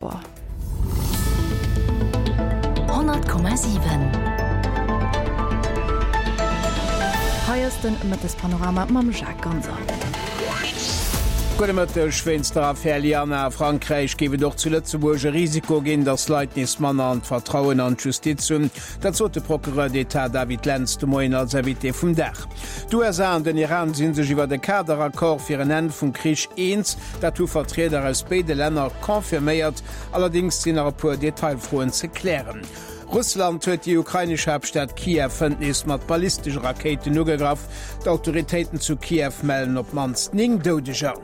100,7. Hei ass den Mëttespanorama mam Jacques Ganser. Gudde Mëtteg. Wéinst der Affär Liana a Frankräich géif et och zu Lëtzebuerg e Risiko ginn, datt Leit nees manner an d'Vertrauen an d'Justiz hunn. Dat sot de Procureur d'État David Lentz de Moien als Invité vum Dag. D'USA an den Iran si sech iwwer e Kaderaccord fir en Enn vum Krich eens. Dat hu Vertrieder aus béide Länner confirméiert. Allerdéngs sinn nach e puer Detailfroen ze klären. Russland huet déi ukrainesch Haaptstad Kiew hënt nees mat ballistesche Rakéiten ugegraff. D'Autoritéiten zu Kiew mellen op d'mannst 9 Doudeger.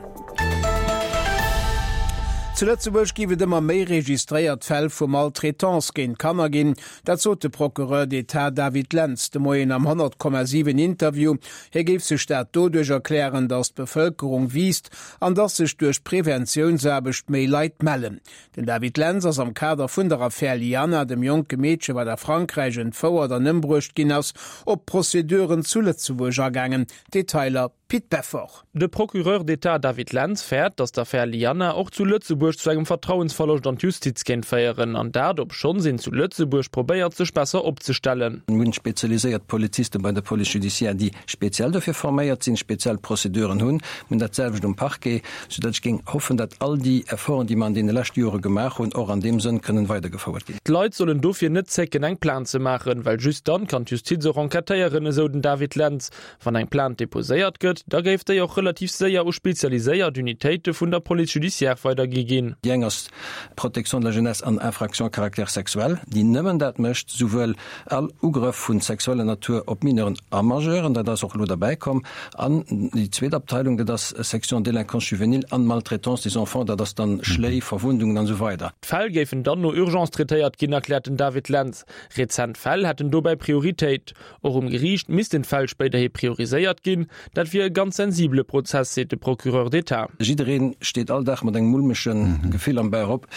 Zu Lëtzebuerg géif et ëmmer méi registréiert Fäll vu Maltraitance géint Kanner ginn. Dat sot de Procureur d'État David Lentz de Moien am 100,7 Interview. Hie géif sech dat doduerch erklären, datt d'Bevëlkerung wiisst an datt sech duerch d'Preventiounsaarbecht méi Leit mellen. Den David Lentz ass am Kader vun der Affär Liana, dem jonke Meedche wat a Frankräich entfouert an ëmbruecht ginn ass, op d'Prozeduren zu Lëtzebuerg agaangen. Detailer Pit Beffort. De Procureur d'État David Lentz fäert, datt d'Affär Liana och zu Lëtzebuerg zu engem Vertrauensverloscht an d'Justiz kéint féieren, an dat obschonns een zu Lëtzebuerg probéiert, sech besser opzestellen. Mir hunn spezialiséiert Poliziste bei der Police judiciaire, déi speziell dofir forméiert sinn, speziell Prozeduren hunn. Mir hunn dat selwecht um Parquet, soudatt ech géing hoffen, datt all déi Efforten, déi mer an deene leschte Jore gemaach hunn, och an deem Sënn kënnen weidergefouert ginn. D'Leit sollen dofir net zécken, eng Plainte ze maachen, well just dann kann d'Justiz och enquêtéieren, esou den David Lentz. Wann eng Plainte deposéiert gëtt, da géif déi och relativ séier u spezialiséiert Unitéite vun der Police judiciaire weidergi ginn. Déi eng ass d'Protection de la jeunesse an infractions à caractère sexuel, déi nëmmen dat mécht, souwuel all Ugrëff vu sexueller Natur op Mineuren a Majeuren, dat ass och elo derbäi komm, an déi zweet Abteilung, dat ass Section délinquance juvénile an maltraitance des enfants, dat ass dann Schléi, Verwundungen an esou weider. D'Fäll géifen dann no Urgence traitéiert ginn, erkläert den David Lentz. Rezent Fäll hätten dobäi Prioritéit. Och um Geriicht missten d'Fäll spéiderhi prioriséiert ginn. Dat wier e ganz sensibele Prozess, seet de Procureur d'État. Jiddereen steet all Dag mat engem mulmege Gefill am Bauch op,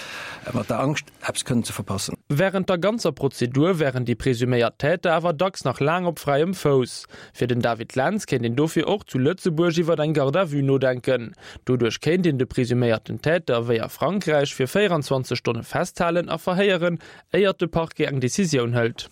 mat der Angscht, eppes kënnen ze verpassen. Wärend der ganzer Prozedur wären déi presuméiert Täter awer dacks nach laang op fräiem Fouss. Fir den David Lentz kéint een dofir och zu Lëtzebuerg iwwer eng Garde à vue nodenken. Doduerch kéint een de presuméierten Täter, wéi a Frankräich, fir 24 Stonne festhalen a verhéieren, éiert de Parquet eng Decisioun hëlt.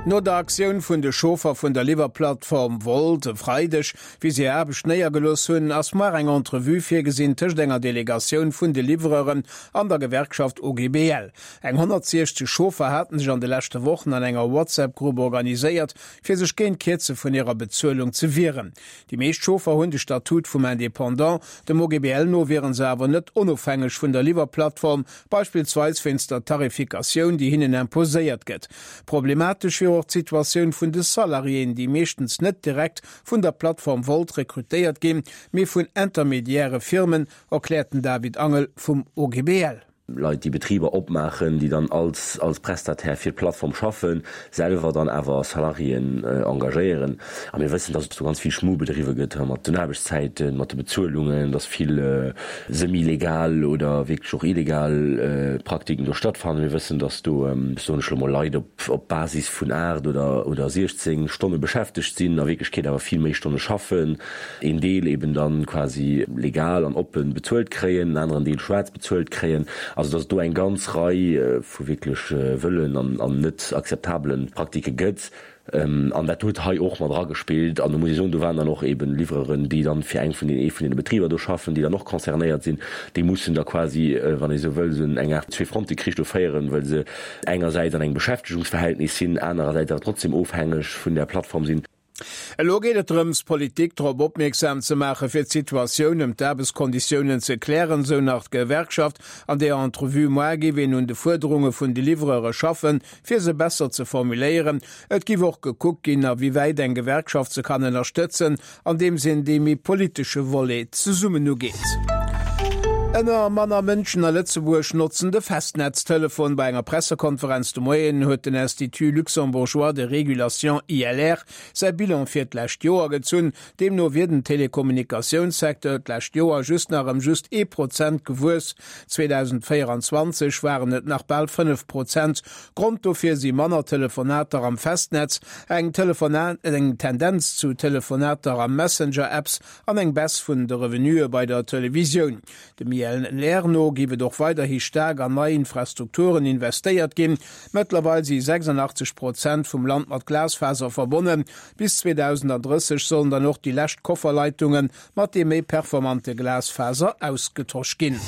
No der Aktioun vun de Chauffer vun der Liwwerplattform Wolt e Freideg, wéi se hir Aarbecht néiergelooss hunn, ass muar eng Entrevue virgesinn tëscht enger Delegatioun vun de Livreuren an der Gewerkschaft OGBL. Eng 160 Chauffer haten sech an de leschte Wochen an enger WhatsApp-Grupp organiséiert, fir sech géint d'Kierze vun hirer Bezuelung ze wieren. Déi meescht Chauffer hunn de Statut vum Independant. Dem OGBL no wiere se awer net onofhängeg vun der Liwwerplattform, beispillsweis wéinst der Tarifikatioun, déi hinnen imposéiert gëtt. Problematesch wier och d'Situatioun vun de Salariéen, déi meeschtens net direkt vun der Plattform Wolt rekrutéiert ginn, mee vun intermediäre Firmen, erkläert den David Angel vum OGBL. Leit, déi Betriber opmaachen, déi dann als als Prestataire fir d'Plattform schaffen, selwer dann awer Salariéen engagéieren. A mir wëssen, dass do ganz vill Schmu bedriwwe gëtt mat den Aarbechtszäiten, mat de Bezuelungen, dass vill semi-legal oder wierklech och illegal Praktiken do stattfannen. Mir wëssen, dass do, soen ech elo mol, Leit op op Basis vun 8 oder oder 16 Stonne beschäftegt sinn, a Wierklechkeet awer vill méi Stonne schaffen, een Deel eben dann quasi legal an oppen bezuelt kréien, en aneren Deel schwaarz bezuelt kréien. Also dass et do eng ganz Rei vu wierklech wëllen an an net akzeptabele Praktike gëtt. An dat huet hei och mat eragespillt. An do muss ee soen, do waren dann och eben Livreuren, déi dann fir eng vun den, ee vun deene Betriber do schaffen, déi dann och concernéiert sinn. Déi mussen da quasi, wann ee sou wëll, esou eng Aart Zweefrontekrich do féieren, well se engersäits an engem Beschäftegungsverhältnis sinn, anerersäits awer trotzdem ofhängeg vun där Plattform sinn. Elo geet et drëms, d'Politik drop opmierksam ze maachen, fir d'Situatioun ëm d'Aarbechtskonditiounen ze klären, sou nach d'Gewerkschaft. An deeër Entrevue moar géif een un de Fuerderunge vun de Livreure schaffen, fir se besser ze formuléieren. Et giff och gekuckt ginn, a wéi wäit eng Gewerkschaft se kann ënnerstëtzen, andeems een dee méi politesche Volet zesummen ugeet. Ëmmer manner Mënschen a Lëtzebuerg notzen de Festnetztelefon. Bei enger Pressekonferenz de Moien huet den Institut luxembourgeois de régulation, ILR, säi Bilan fir d'lescht Joer gezunn. Deemno wier den Telekommunikatiounssecteur d'lescht Joer just nach ëm just ee Prozent gewuess. 2024 waren et nach bal 5 Prozent. Grond dofir si manner Telefonater am Festnetz, eng eng Tendenz zu Telefonater a Messenger-Apps an eng Baisse vun de Revenuë bei der Televisioun. ILR no géif et och weiderhi staark an nei Infrastrukturen investéiert ginn. Mëttlerweil si 86 Prozent vum Land mat Glasfaser verbonnen. Bis 2030 sollen dann och déi lescht Kofferleitunge mat deem méi performante Glasfaser ausgetosch ginn.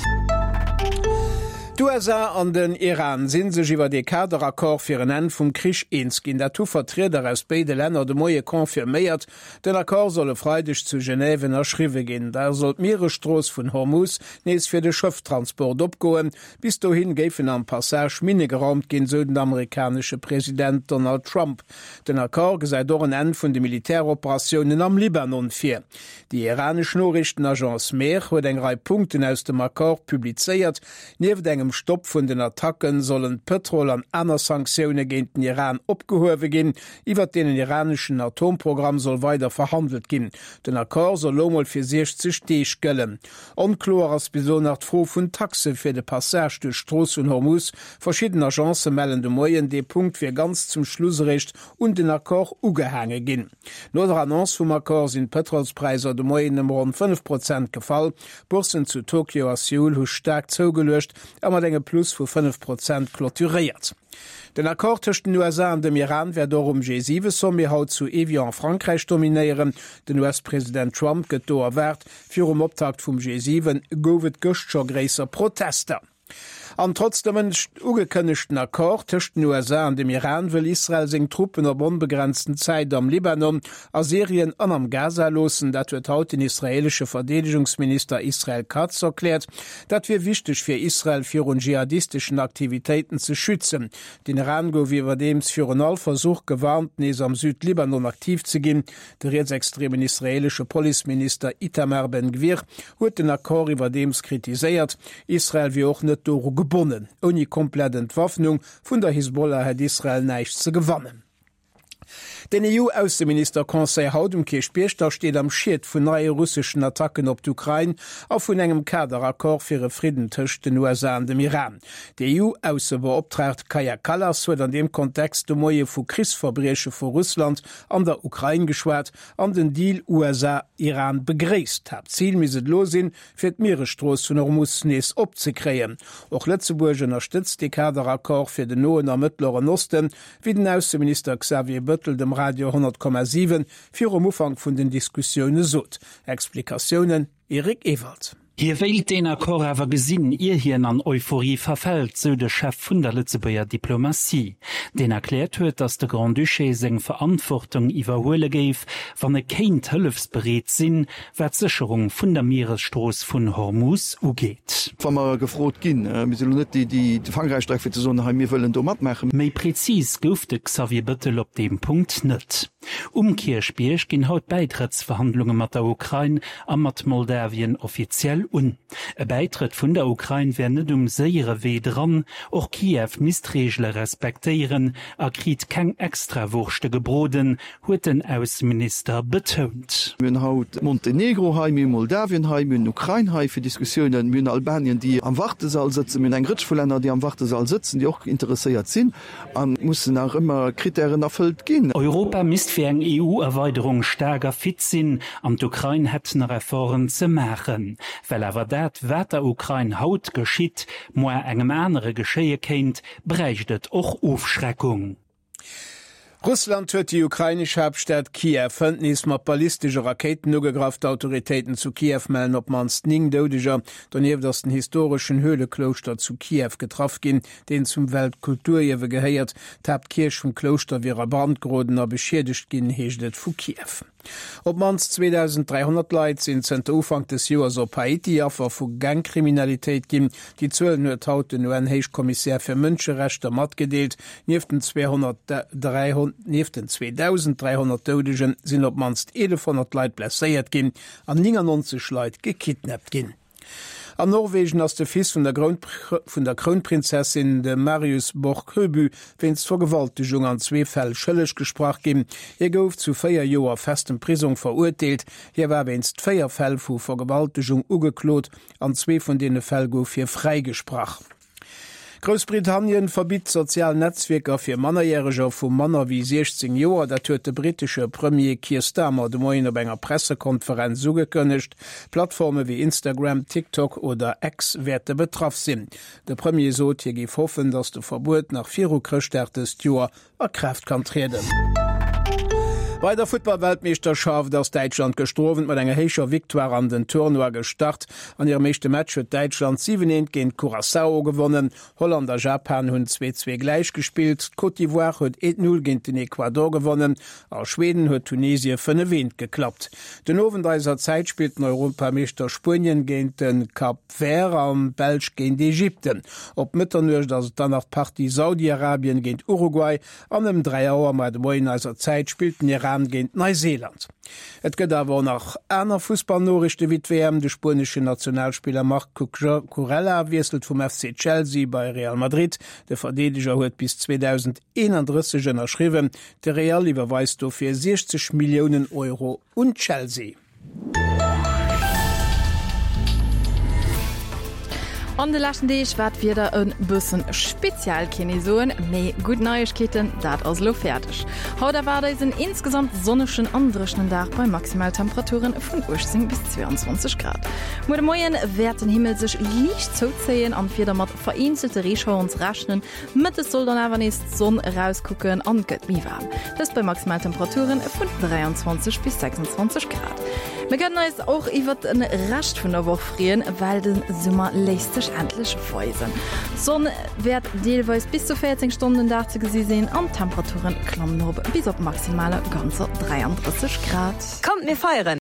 D'USA an den Iran si sech iwwert ee Kaderaccord fir en Enn vum Krich eens ginn. Dat hu Vertrieder aus béide Länner de Moie confirméiert. Den Accord soll e Freideg zu Genève ënnerschriwwe ginn. Da soll d'Mieresstrooss vun Hormuz nees fir de Schëfftransport opgoen. Bis dohin géifen am Passage Minne geraumt ginn, sou den amerikanesche President Donald Trump. Den Accord gesäit och en Enn vun de Militäroperatiounen am Libanon vir. Déi iranesch Noriichtenagence Mehr huet eng Rei Punkten aus dem Accord publizéiert. Nieft engem Stopp vun den Attacke sollen d'Pëtrol an aner Sanktioune géint den Iran opgehuewe ginn. Iwwert den iraneschen Atomprogramm soll weider verhandelt ginn. Den Accord soll lo mol fir 60 Deeg gëllen. Onkloer ass bis elo nach d'Fro vun Taxe fir de Passage duerch d'Strooss vun Hormuz. Verschidden Agencë mellen de Moien, dee Punkt wier ganz zum Schluss eréischt un den Accord ugehaange ginn. No der Annonce vum Accord sinn d'Pëtrolspräisser de Moien ëm ronn 5 Prozent gefall. D'Bourssen zu Tokio a Seoul hu staark zougeluecht a mat engem Plus vu 5 Prozent clôturéiert. Den Accord tëscht den USA an dem Iran wäert och um G7-Sommet haut zu Evian a Frankräich dominéieren. Den US-President Trump gëtt do erwaart. Virum Optakt vum G7 gouf et gëscht scho gréisser Protester. An trotz dem ugekënnegten Accord tëscht den USA an dem Iran wëll Israel seng Truppen op onbegrenzten Zäit am Libanon, a Syrien an am Gaza loossen. Dat huet haut den israeelesche Verdeedegungsminister Israel Katz erkläert. Dat wier wichteg fir Israel virun dschihadisteschen Aktivitéiten ze schützen. Den Iran gouf iwwerdeems virun all Versuch gewarnt, nees am Südlibanon aktiv ze ginn. De rietsextremen israeelesche Policeminister Itamar Ben-Gvir huet den Accord iwwerdeems kritiséiert. Israel wier och net doru gebonnen. Ouni komplett Entwaffnung vun der Hisbollah hätt Israel näischt ze gewannen. Den EU-Ausseminister-Conseil haut um Kierchbierg da steet am Schiet vun neie russeschen Attacken op d'Ukrain a vun engem Kaderaccord fir e Fridden tëscht den USA an dem Iran. D'EU-Aussebeoptraagt Kaja Kallas huet an deem Kontext de Moie vu Krichsverbrieche vu Russland an der Ukrain geschwat an den Deal USA-Iran begréisst. Haaptzil misst et elo sinn, fir d'Mieresstrooss vun Hormus nees opzekréien. Och Lëtzebuerg ënnerstëtzt dee Kaderaccord fir den Noen a Mëttleren Osten, wéi den Ausseminister Xavier Bëttel dem Radio 100,7 virum Ufank vun den Diskussioune sot. Explikatiounen, Eric Ewald. Hie wéilt deen Accord awer gesinn, ier hien an Euphorie verfält, sou de Chef vun der Lëtzebuerger Diplomatie, deen erkläert huet, datt de Grand-Duché seng Verantwortung iwwerhuele géif, wann e kéint hëllefsbereet sinn, wat d'Sécherung vun der Mieresstrooss vun Hormuz ugeet. Wa mer gefrot ginn, mir sinn elo net déi, déi Frankräich dreiwen, fir ze soen, hei mir wëllen do matmaachen. Méi prezis gouf de Xavier Bëttel op deem Punkt net. Um Kierchbierg ginn haut d'Bäitrëttsverhandlunge mat der Ukrain a mat Moldawien offiziell un. E Bäitrëtt vun der Ukrain wär net um séiere Wee dran. Och Kiew misst Reegele respektéieren a kriit keng Extrawurschte gebroden, huet den Ausseminister betount. Mir hunn haut Montenegro hei, mir hu Moldawien hei, mir hunn Ukrain hei fir Diskussiounen, mir hunn Albanien, déi am Wartesall sëtzen, mir hunn eng Rëtsch vu Länner, déi am Wartesall sëtzen, déi och interesséiert sinn. A mussen nach ëmmer Krittären erfëllt ginn. Europa misst fir eng EU-Erweiderung staark a fit sinn an d'Ukrain hätt nach Efforten ze maachen. Well awer dat, wat der Ukrain haut geschitt, moar engem anere geschéie kéint, bräicht et och Ofschreckung. Russland huet déi ukrainesch Haaptstad Kiew hënt nees mat ballistesche Rakéiten ugegraff. D'Autoritéiten zu Kiew mellen op d'mannst 9 Doudeger. Donieft ass den historeschen Höhleklouschter zu Kiew getraff ginn. deen zum Weltkulturierwe gehéiert. D'Haaptkierch vum Klouschter wier a Brand geroden a beschiedegt ginn, heescht et vu Kiew. Op d'mannst 2.300 Leit sinn zënter Ufank des Joers op Haiti Affer vu Gangkriminalitéit ginn. Déi Zuelen huet haut den UN-Héichkommissär fir Mënscherechter matgedeelt. Nieft den 2.300 Doudege sinn op d'mannst 1.100 Leit blesséiert ginn an 99 Leit gekidnappt ginn. An Norwegen ass de Fils vun der vun der Krounprinzessin, de Marius Borg Høiby, wéinst Vergewaltegung an zwee Fäll schëlleg gesprach ginn. Hie gouf zu 4 Joer festem Prisong verurteelt. Hie war wéinst 4 Fäll vu Vergewaltegung ugeklot. An zwee vun deene Fäll gouf hie fräigesprach. Groussbritannien verbitt sozial Netzwierker fir Mannerjäreger vu manner wéi 16 Joer. Dat huet de brittesche Premier Keir Starmer de Moien op enger Pressekonferenz ugekënnegt. Plattforme wéi Instagram, TikTok oder X wäerte betraff sinn. De Premier sot, hie géif hoffen, datt de Verbuet nach viru Chrëschtdag dëst Joer a Kraaft kann trieden. Bei der Futtballweltmeeschterschaft ass Däitschland gëschter Owend mat enger héicher Victoire an den Tournoi gestart. An hirem éischte Match huet Däitschland 7, 1 géint Curaçao gewonnen. Holland a Japan hunn 2, 2 gläich gespillt. D'Côte d'Ivoire huet 1, 0 géint den Ecuador gewonnen a Schweden huet Tunesie 5, 1 geklappt. Den Owend eiser Zäit spillt den Europameeschter Spuenien géint de Cap Vert an d'Belsch géint Ägypten. Op Mëtternuecht ass et dann nach d'Partie Saudi-Arabien géint Uruguay an ëm 3 Auer mar de Moien eiser Zäit spillt den Iran géint Neuseeland. Et gëtt awer och nach aner Fussballnoriichte wéi d'WM. De spueneschen Nationalspiller Marc Cucurella wiesselt vum FC Chelsea bei Real Madrid. De Verdeedeger huet bis 2031 ënnerschriwwen. De Real iwwerweist dofir 60 Milliounen Euro un Chelsea. An de leschten Deeg war d'Wieder e bëssen speziell, kéint ee soen. Mee gutt Neiegkeeten, dat ass elo fäerdeg. Haut erwaart eis en insgesamt sonnegen an dréchenen Dag bei Maximaltemperaturen vun 18 bis 22 Grad. Muer de Moien wäert den Himmel sech liicht zouzéien an d'Wieder mat vereenzelte Reeschaueren ze rechnen. Mëttes soll dann awer nees d'Sonn erauskucken an et gëtt méi waarm, dëst bei Maximaltemperature vun 23 bis 26 Grad. Mir kënnen eis och iwwert de Rescht vun der Woch freeën, well de Summer léisst sech endlech weisen. D'Sonn wäert deelweis bis zu 14 Stonnen den Dag ze gesi sinn an d'Temperature klammen erop bis op maximale ganzer 33 Grad. Kommt mir feieren!